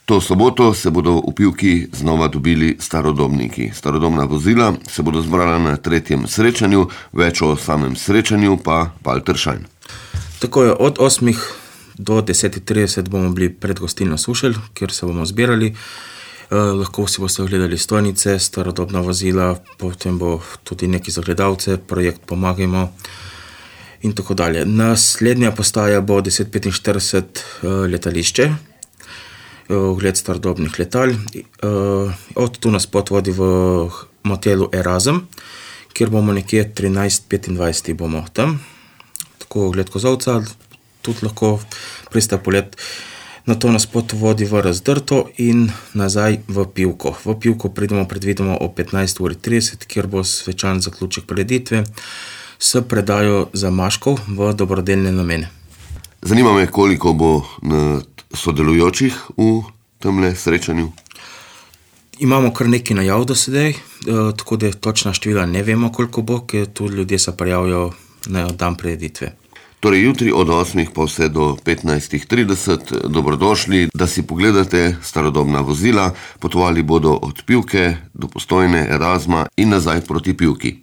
To soboto se bodo v Pivki znova dobili starodobniki. Starodobna vozila se bodo zbrala na 3. srečanju, več o samem srečanju pa Walter Schein. Tako je, od 8 do 10:30 bomo bili pred gostilno Sušelj, kjer se bomo zbirali. Lahko si boste ogledali stojnice, starodobna vozila, potem bo tudi neki za gledalce, projekt Pomagajmo in tako dalje. Naslednja postaja bo 10:45 letališče, ogled starodobnih letal. Od tu nas pot vodi v motelu Erasm, kjer bomo nekje 13:25 bomo tam. Tako ogled kozolca, tudi lahko priste polet. Nato nas pot vodi v Razdrto in nazaj v Pivko. V Pivko pridemo predvidoma o 15:30, kjer bo svečan zaključek prireditve s predajo zamaškov v dobrodelne namene. Zanima me, koliko bo sodelujočih v temle srečanju. Imamo kar nekaj najav do sedaj, tako da točna števila ne vemo, koliko bo, ker tu ljudje se prijavijo na dan prireditve. Torej jutri od 8 pa vse do 15:30 dobrodošli, da si pogledate starodobna vozila. Potovali bodo od Pivke do Postojne, Erasma in nazaj proti Pivki.